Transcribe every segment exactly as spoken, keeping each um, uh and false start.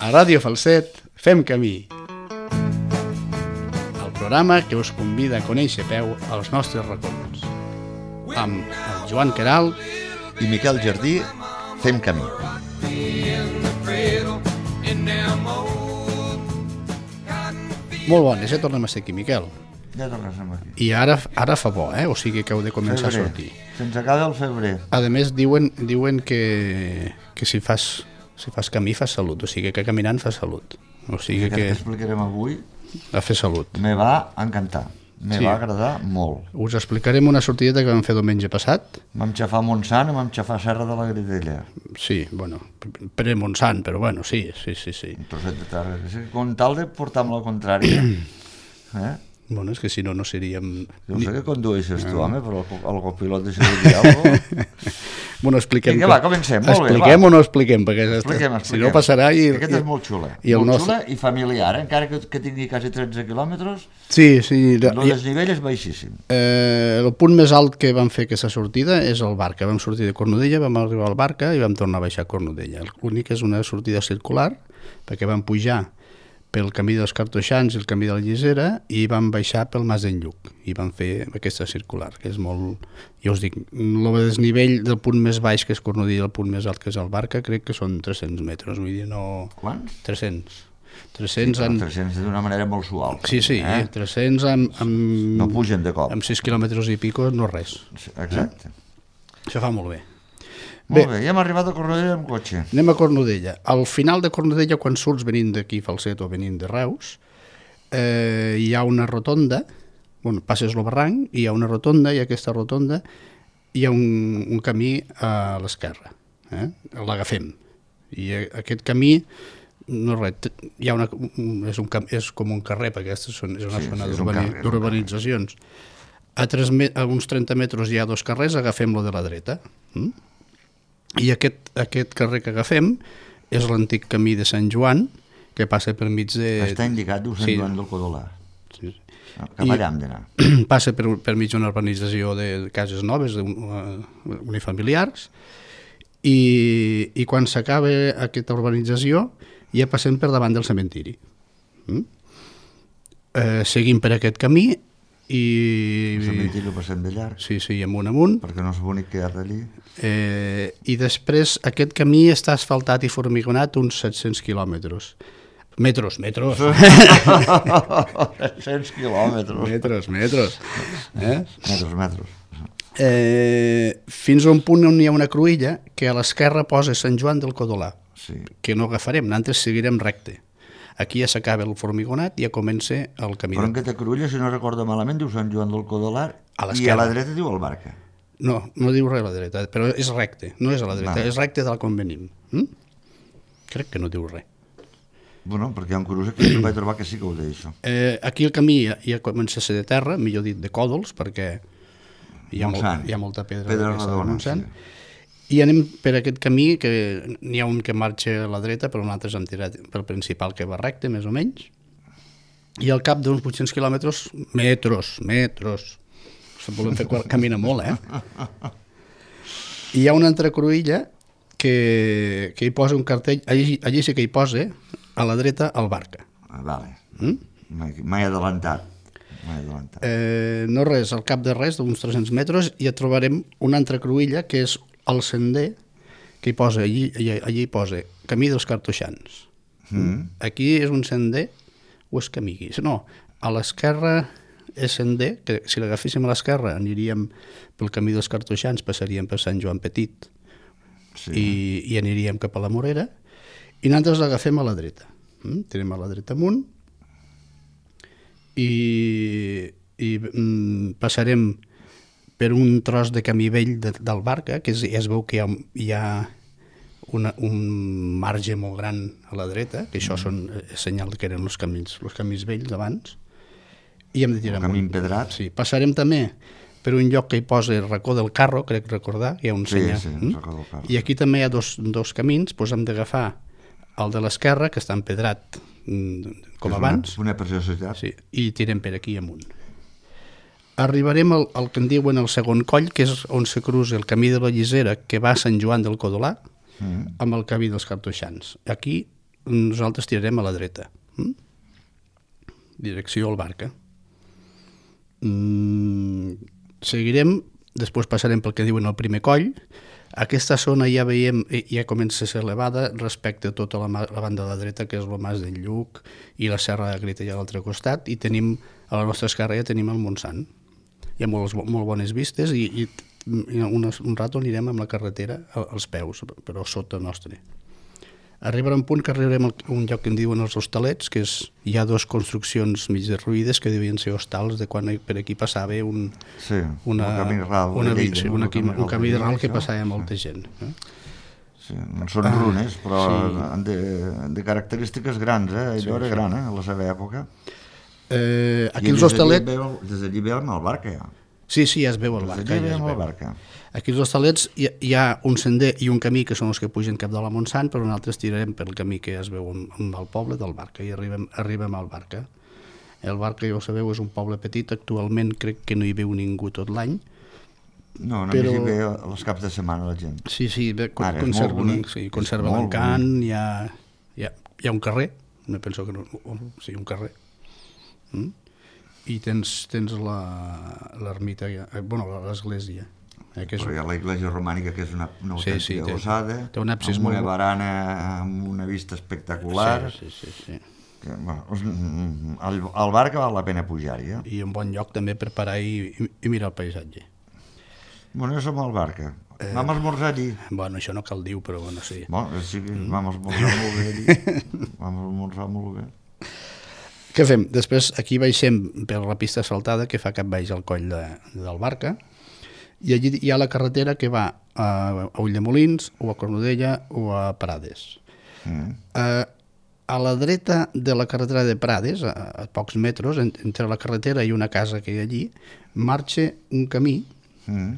A Ràdio Falset fem camí. El programa que us convida a conèixer peu als nostres racons. Amb el Joan Queralt i Miquel Jardí fem camí. Molt bones, ja tornem a ser aquí, Miquel. Ja tornem aquí. I ara, ara fa bo, eh? O sigui que heu de començar febrer. a sortir. Se'ns acaba el febrer. A més, diuen, diuen que, que si fas... Si fas camí, fas salut. O sigui que caminant fas salut. O sigui que... que explicarem avui a fer salut. Me va encantar. Me sí. va agradar molt. Us explicarem una sortideta que vam fer diumenge passat. Vam xafar Montsant i vam xafar Serra de la Gridella. Sí, bueno, pre-Montsant, però bueno, sí, sí, sí. sí. Un trosset de terra. Com tal de portar-me la contrària. eh? Bueno, és que si no, no seríem... No sé què condueixes tu, home, però el copilot deixa de dir alguna cosa. Bueno, expliquem... Vinga, va, comencem. Molt expliquem bé, o no expliquem? Perquè expliquem, expliquem. Si no passarà... I, Aquest és molt xula. I molt nostre... xula i familiar, eh? Encara que, que tingui quasi tretze quilòmetres, sí, sí. el desnivell és baixíssim. Eh, el punt més alt que vam fer aquesta sortida és el Barca. Vam sortir de Cornudella, vam arribar al Barca i vam tornar a baixar a Cornudella. L'únic és una sortida circular, perquè vam pujar pel camí dels Cartoixans i el camí de la Llisera i vam baixar pel Mas d'en Lluc i vam fer aquesta circular, que és molt... Ja us dic, el desnivell del punt més baix, que és Cornudella, el punt més alt, que és el Barca, crec que són tres-cents metres, vull dir, no... Quants? tres-cents. tres-cents, sí, en... tres-cents d'una manera molt suau. Sí, sí, eh? tres-cents amb, amb... No pugen de cop. Amb sis quilòmetres i pico no res. Exacte. Eh? Això fa molt bé. Molt bé, ja hem arribat a Cornudella amb cotxe. Anem a Cornudella. Al final de Cornudella, quan surts venint d'aquí Falset o venint de Reus, eh, hi ha una rotonda, bueno, passes el barranc, hi ha una rotonda, i a aquesta rotonda hi ha un, un camí a l'esquerra. Eh? L'agafem. I aquest camí, no res, hi ha una, és, un, és com un carrer, perquè aquesta és una sí, zona sí, d'urbanitzacions. A, a uns trenta metres hi ha dos carrers, agafem-lo de la dreta. Mm? I aquest, aquest carrer que agafem és l'antic camí de Sant Joan, que passa per mig de... Està indicat, diu Sant sí. Joan del Codolà. Sí. Cap allà hem d'anar. Passa per, per mig d'una urbanització de cases noves, de, uh, unifamiliars, i, i quan s'acaba aquesta urbanització ja passem per davant del cementiri. Mm? Eh, seguim per aquest camí i... El cementiri ho passem de llarg. Sí, sí, amunt amunt. Perquè no és bonic quedar d'allí. Eh, I després aquest camí està asfaltat i formigonat uns set-cents quilòmetres. Metros, metros. set-cents quilòmetres. Metros, metros. Eh? Metros, metros. Eh, fins a un punt on hi ha una cruïlla que a l'esquerra posa Sant Joan del Codolà, sí. que no agafarem, nosaltres seguirem recte. Aquí ja s'acaba el formigonat i ja comença el camí. Però en aquesta cruïlla, si no recordo malament, diu Sant Joan del Codolà i a la dreta diu el Barca. No, no diu res a la dreta, però és recte, no és a la dreta, no. És recte del com venim. Mm? Crec que no diu res. Bueno, perquè hi ha un cruç aquí que vaig trobar que sí que ho deia, això. Eh, aquí el camí ja, ja comença a ser de terra, millor dit de còdols, perquè hi ha, molt, hi ha molta pedra, pedra redona, sí. I anem per aquest camí, que n'hi ha un que marxa a la dreta, però nosaltres hem tirat pel principal que va recte, més o menys, i al cap d'uns vuit-cents quilòmetres, metros, metros, se volem fer camina molt, eh? I hi ha una altra cruïlla que, que hi posa un cartell, allí, allí sí que hi posa, a la dreta, el Barca. Ah, vale. Mm? Mai, mai adelantat. Mai adelantat. Eh, no res, al cap de res, d'uns tres-cents metres, ja trobarem una altra cruïlla, que és el sender, que hi posa, allí, allí, allí hi posa camí dels Cartoixans. Mm. Aquí és un sender, o és camí? No, a l'esquerra és sender, que si l'agaféssim a l'esquerra aniríem pel camí dels Cartoixans, passaríem per Sant Joan Petit, sí. i, i aniríem cap a la Morera, i nosaltres l'agafem a la dreta. Mm? Tenim a la dreta amunt, i, i mm, passarem per un tros de camí vell de, del Barca, que es, es veu que hi ha, hi ha una, un marge molt gran a la dreta, que això mm. són eh, senyal que eren els camins, els camins vells d'abans, i hem de tirar un camí empedrat. Sí, passarem també per un lloc que hi posa el racó del carro, crec recordar, hi ha un sí, senyal. Sí, mm? racó del carro. I aquí també hi ha dos, dos camins, doncs hem d'agafar el de l'esquerra, que està empedrat mm, com és abans, una, una preciositat. Sí, i tirem per aquí amunt. Arribarem al, al que en diuen el segon coll, que és on se cruza el camí de la Llisera, que va a Sant Joan del Codolà, mm. amb el camí dels Cartoixans. Aquí nosaltres tirarem a la dreta. Mm? Direcció al Barca. Mm, seguirem, després passarem pel que diuen el primer coll. Aquesta zona ja veiem, ja comença a ser elevada respecte a tota la, la banda de la dreta, que és el Mas del Lluc i la Serra de Greta a l'altre costat, i tenim, a la nostra esquerra ja tenim el Montsant. Hi ha molt, molt bones vistes i, i un, un rato anirem amb la carretera als peus, però sota nostre. Arribarà un punt que arribarem a un lloc que en diuen els Hostalets, que és, hi ha dues construccions mig derruïdes que devien ser hostals de quan per aquí passava un, sí, una, un camí ral, una, Lleida, sí, una, un, camí, un camí de ral que passava molta gent. Eh? Sí, són runes, però sí. de, de característiques grans, eh? Allò sí, era sí. gran, eh? A la seva època. Eh, aquí els Hostalets... Des d'allí veiem el Barca, ja. Sí, sí, ja es veu el Barca. Des d'allí veiem el Barca. Aquí als Hostalets hi, hi ha un sender i un camí que són els que pugen cap de la Montsant, però nosaltres tirarem pel camí que ja es veu amb el poble del Barca i arribem, arribem al Barca. El Barca, ja ho sabeu, és un poble petit, actualment crec que no hi viu ningú tot l'any. No, només però... hi ve els caps de setmana la gent. Sí, sí, bé, Ara, conserven, sí, conserva l'encant, hi ha, hi, ha, hi ha un carrer, no penso que no, sí, un carrer. Mm? I tens, tens l'ermita, bueno, l'església. Eh, que és... Però hi ha l'església romànica, que és una, una sí, sí, autèntica ossada, amb una molt... barana amb una vista espectacular. Sí, sí, sí. sí. Que, bueno, el, el Barca val la pena pujar-hi. Eh? I un bon lloc també per parar i, i, i mirar el paisatge. Bueno, jo som al Barca. Eh, vam esmorzar allí. Bueno, això no cal dir, però bueno, sí. Bueno, sí que vam esmorzar molt bé allí. Vam esmorzar molt bé. Què fem? Després aquí baixem per la pista asfaltada que fa cap baix al coll de, del Barca, i allí hi ha la carretera que va a, a Ulldemolins o a Cornudella o a Prades. Mm. A, a la dreta de la carretera de Prades, a, a pocs metres, entre la carretera i una casa que hi ha allí, marxa un camí mm.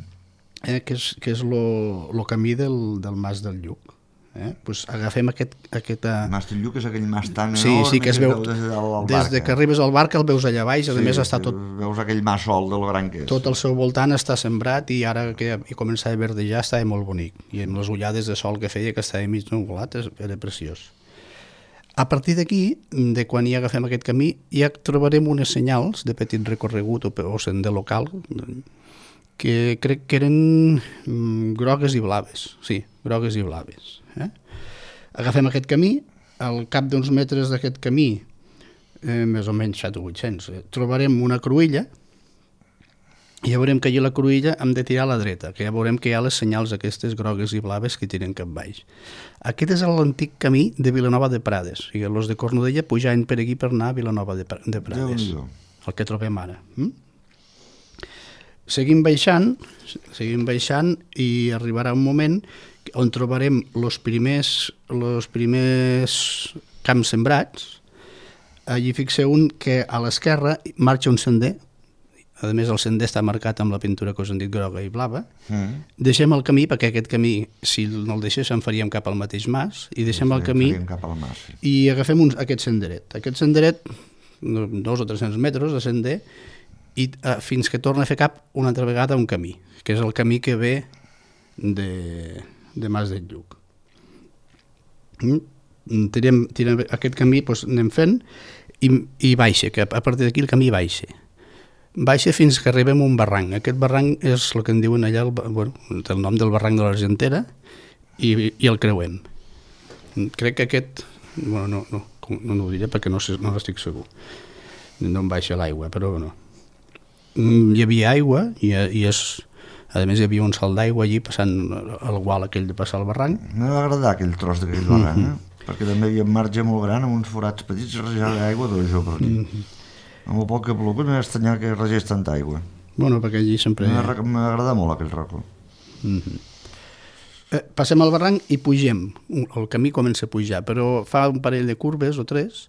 eh, que és, que és lo, lo camí del, del Mas del Lluc. Eh? Pues agafem aquest... aquest uh... Mas del Lluc és aquell mas tan sí, enorme sí, que es veu, des, de des de que arribes al Barca el veus allà baix, a sí, més està tot... Veus aquell mas sol del gran que és. Tot al seu voltant està sembrat i ara que hi començava a verdejar estava molt bonic. I amb les ullades de sol que feia, que estava mig nuvolat, era preciós. A partir d'aquí, de quan hi agafem aquest camí, ja trobarem unes senyals de petit recorregut o, o sender local que crec que eren mm, grogues i blaves. Sí, grogues i blaves. Eh? Agafem aquest camí, al cap d'uns metres d'aquest camí, eh, més o menys set o vuit-cents, eh, trobarem una cruïlla i ja veurem que allà la cruïlla hem de tirar a la dreta, que ja veurem que hi ha les senyals aquestes grogues i blaves que tiren cap baix. Aquest és l'antic camí de Vilanova de Prades, o sigui, els de Cornudella pujaven per aquí per anar a Vilanova de, de Prades, el que trobem ara. Mm? Seguim baixant, seguim baixant i arribarà un moment on trobarem els primers, els primers camps sembrats. Allí fixeu un que a l'esquerra marxa un sender, a més el sender està marcat amb la pintura que us han dit groga i blava. Mm. Deixem el camí, perquè aquest camí, si no el deixés, en faríem cap al mateix mas, i deixem sí, el camí cap al mas, sí. I agafem un, aquest senderet. Aquest senderet, dos o tres-cents metres de sender, i uh, fins que torna a fer cap una altra vegada un camí, que és el camí que ve de, de Mas del Lluc. Mm? Tirem, tirem aquest camí, doncs anem fent i, i baixa, que a partir d'aquí el camí baixa. Baixa fins que arribem a un barranc. Aquest barranc és el que en diuen allà, el, bueno, el nom del barranc de l'Argentera, i, i el creuem. Crec que aquest, bueno, no, no, no, no ho diré perquè no, no estic segur. No em baixa l'aigua, però no. Hi havia aigua i, i és, a més hi havia un salt d'aigua allí passant el gual aquell de passar el barranc. M'ha agradar aquell tros d'aquell barranc, mm -hmm. eh? Perquè també hi havia un marge molt gran amb uns forats petits rejant d'aigua d'ojo per aquí. Mm -hmm. Amb el poc que plogut m'ha estranyat que regés tanta aigua. Bueno, perquè allí sempre... M'ha agradat molt aquell racó. Mm -hmm. eh, passem al barranc i pugem. El camí comença a pujar, però fa un parell de curves o tres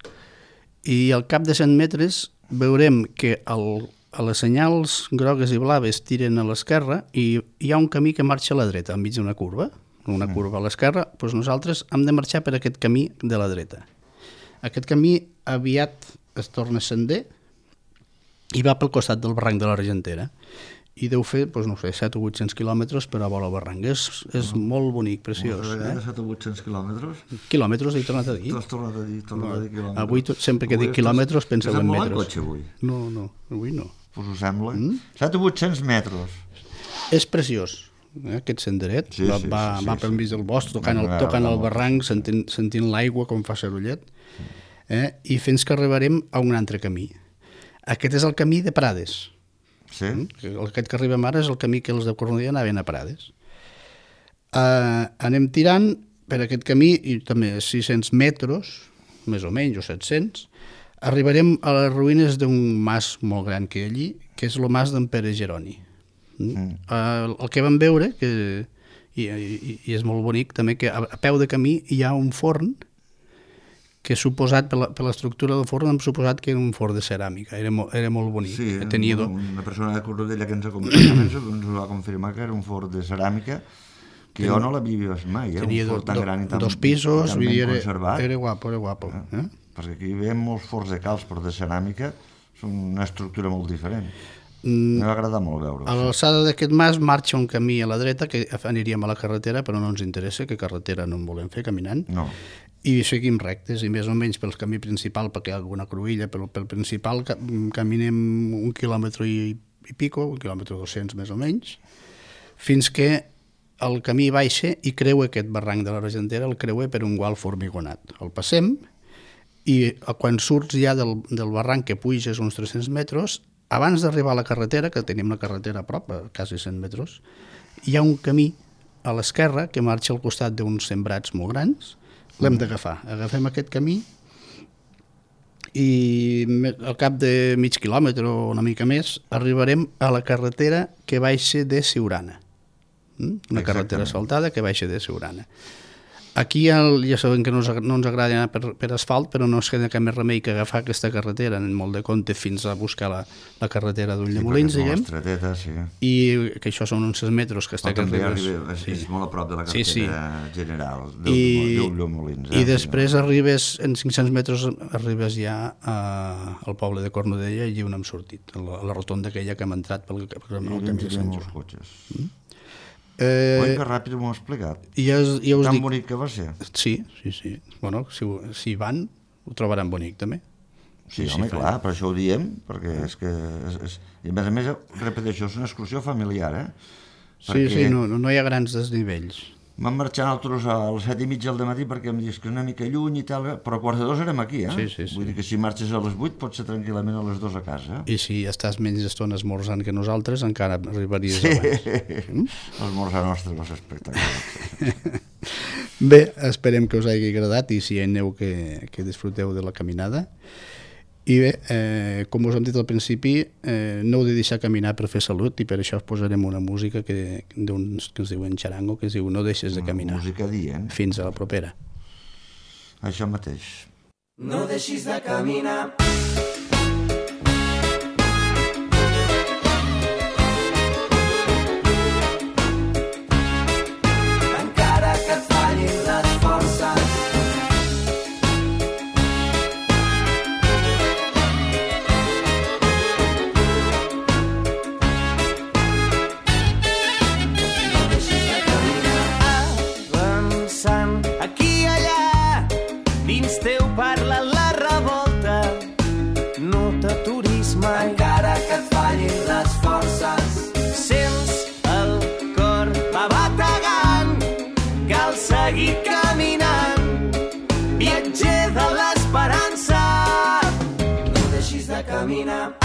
i al cap de cent metres veurem que el a les senyals grogues i blaves tiren a l'esquerra i hi ha un camí que marxa a la dreta, enmig d'una curva, una curva a l'esquerra, doncs nosaltres hem de marxar per aquest camí de la dreta. Aquest camí aviat es torna sender i va pel costat del barranc de l'Argentera. i deu fer, doncs no sé, set o vuit-cents quilòmetres per a vol al barranc. És, és no. molt bonic, preciós. Eh? set o vuit-cents quilòmetres? Quilòmetres, he tornat a dir. T'has tornat a dir, tornat no. a dir quilòmetres. Avui, sempre que avui dic quilòmetres, penseu en metres. Has molt en cotxe, avui? No, no, avui no. Pues ho sembla. Mm? set o vuit-cents metres. És preciós. Eh, aquest senderet sí, va, sí, va, sí, va sí, pel mig del bosc tocant el, tocant el barranc, sentint, sentint l'aigua com fa serollet, eh, i fins que arribarem a un altre camí. Aquest és el camí de Prades. Sí. Aquest que arribem ara és el camí que els de Cornudella anaven a Prades. Uh, anem tirant per aquest camí i també sis-cents metres, més o menys, o set-cents, arribarem a les ruïnes d'un mas molt gran que hi ha allí, que és el mas d'en Pere Geroni. Mm. El, el que vam veure que, i, i, i és molt bonic també, que a, a peu de camí hi ha un forn que suposat per, la, per l'estructura del forn hem suposat que era un forn de ceràmica, era, mo, era molt bonic. Sí, tenia do... una persona de Cornudella que ens acompanyava ens va confirmar que era un forn de ceràmica que Ten... jo no l'havia vist mai, eh? Tenia un forn tan do, gran i tan, dos pisos, tan ben era, conservat. Era guapo, era guapo. Eh? Eh? Perquè aquí veiem molts forns de calç, però de ceràmica són una estructura molt diferent. M'ha agradat molt veure-ho. A l'alçada d'aquest mas marxa un camí a la dreta que aniríem a la carretera, però no ens interessa, que carretera no en volem fer caminant. No. I seguim rectes, i més o menys pel camí principal, perquè hi ha alguna cruïlla, però pel principal caminem un quilòmetre i, i pico, un quilòmetre dos-cents més o menys, fins que el camí baixa i creua aquest barranc de la Regentera, el creua per un gual formigonat. El passem i quan surts ja del, del barranc que puges uns tres-cents metres, abans d'arribar a la carretera, que tenim la carretera a prop, a quasi cent metres, hi ha un camí a l'esquerra que marxa al costat d'uns sembrats molt grans, l'hem d'agafar. Agafem aquest camí i al cap de mig quilòmetre o una mica més arribarem a la carretera que baixa de Siurana. Una carretera asfaltada que baixa de Siurana. Aquí el, ja sabem que no, no ens agrada anar per, per asfalt, però no es queda cap més remei que agafar aquesta carretera en molt de compte fins a buscar la, la carretera d'Ulldemolins, sí, diguem. Estreteta, sí. I que això són uns sis metres que està que arribes. Arriba, és, sí. és molt a prop de la carretera sí, sí. general I, d'Ulldemolins. Eh? I després arribes, en cinc-cents metres, arribes ja a, al poble de Cornudella i allí on hem sortit, a la, a la rotonda aquella que hem entrat pel, pel, pel camí de Sant Joan. Cotxes. Mm? Eh, Oi, que ràpid m'ho ha explicat. Ja, ja Tan dic... bonic que va ser. Sí, sí, sí. Bueno, si, si van, ho trobaran bonic, també. Sí, sí home, sí, clar, per això ho diem, perquè és que... És, és... I a més a més, repeteixo, és una excursió familiar, eh? Sí, perquè... sí, no, no hi ha grans desnivells. Vam marxar nosaltres a les set i mitja del matí perquè em dius que és una mica lluny i tal, però a quarts de dos érem aquí, eh? Sí, sí, sí. Vull dir que si marxes a les vuit pots ser tranquil·lament a les dos a casa. I si estàs menys estona esmorzant que nosaltres, encara arribaries sí. abans. Mm? L'esmorzar nostre va ser espectacular. Bé, esperem que us hagi agradat i si hi ha neu que, que disfruteu de la caminada. I bé, eh, com us hem dit al principi, eh, no heu de deixar caminar per fer salut i per això us posarem una música que, d'uns que es diuen xarango, que es diu No deixes de caminar. Una música dient. Fins a la propera. Això mateix. No deixis de caminar. Encara que et fallin les forces. Aquí i allà, dins teu parla la revolta. No t'aturis mai, encara que et fallin les forces. Sents el cor va bategant, cal seguir caminant. Viatger de l'esperança, no deixis de caminar.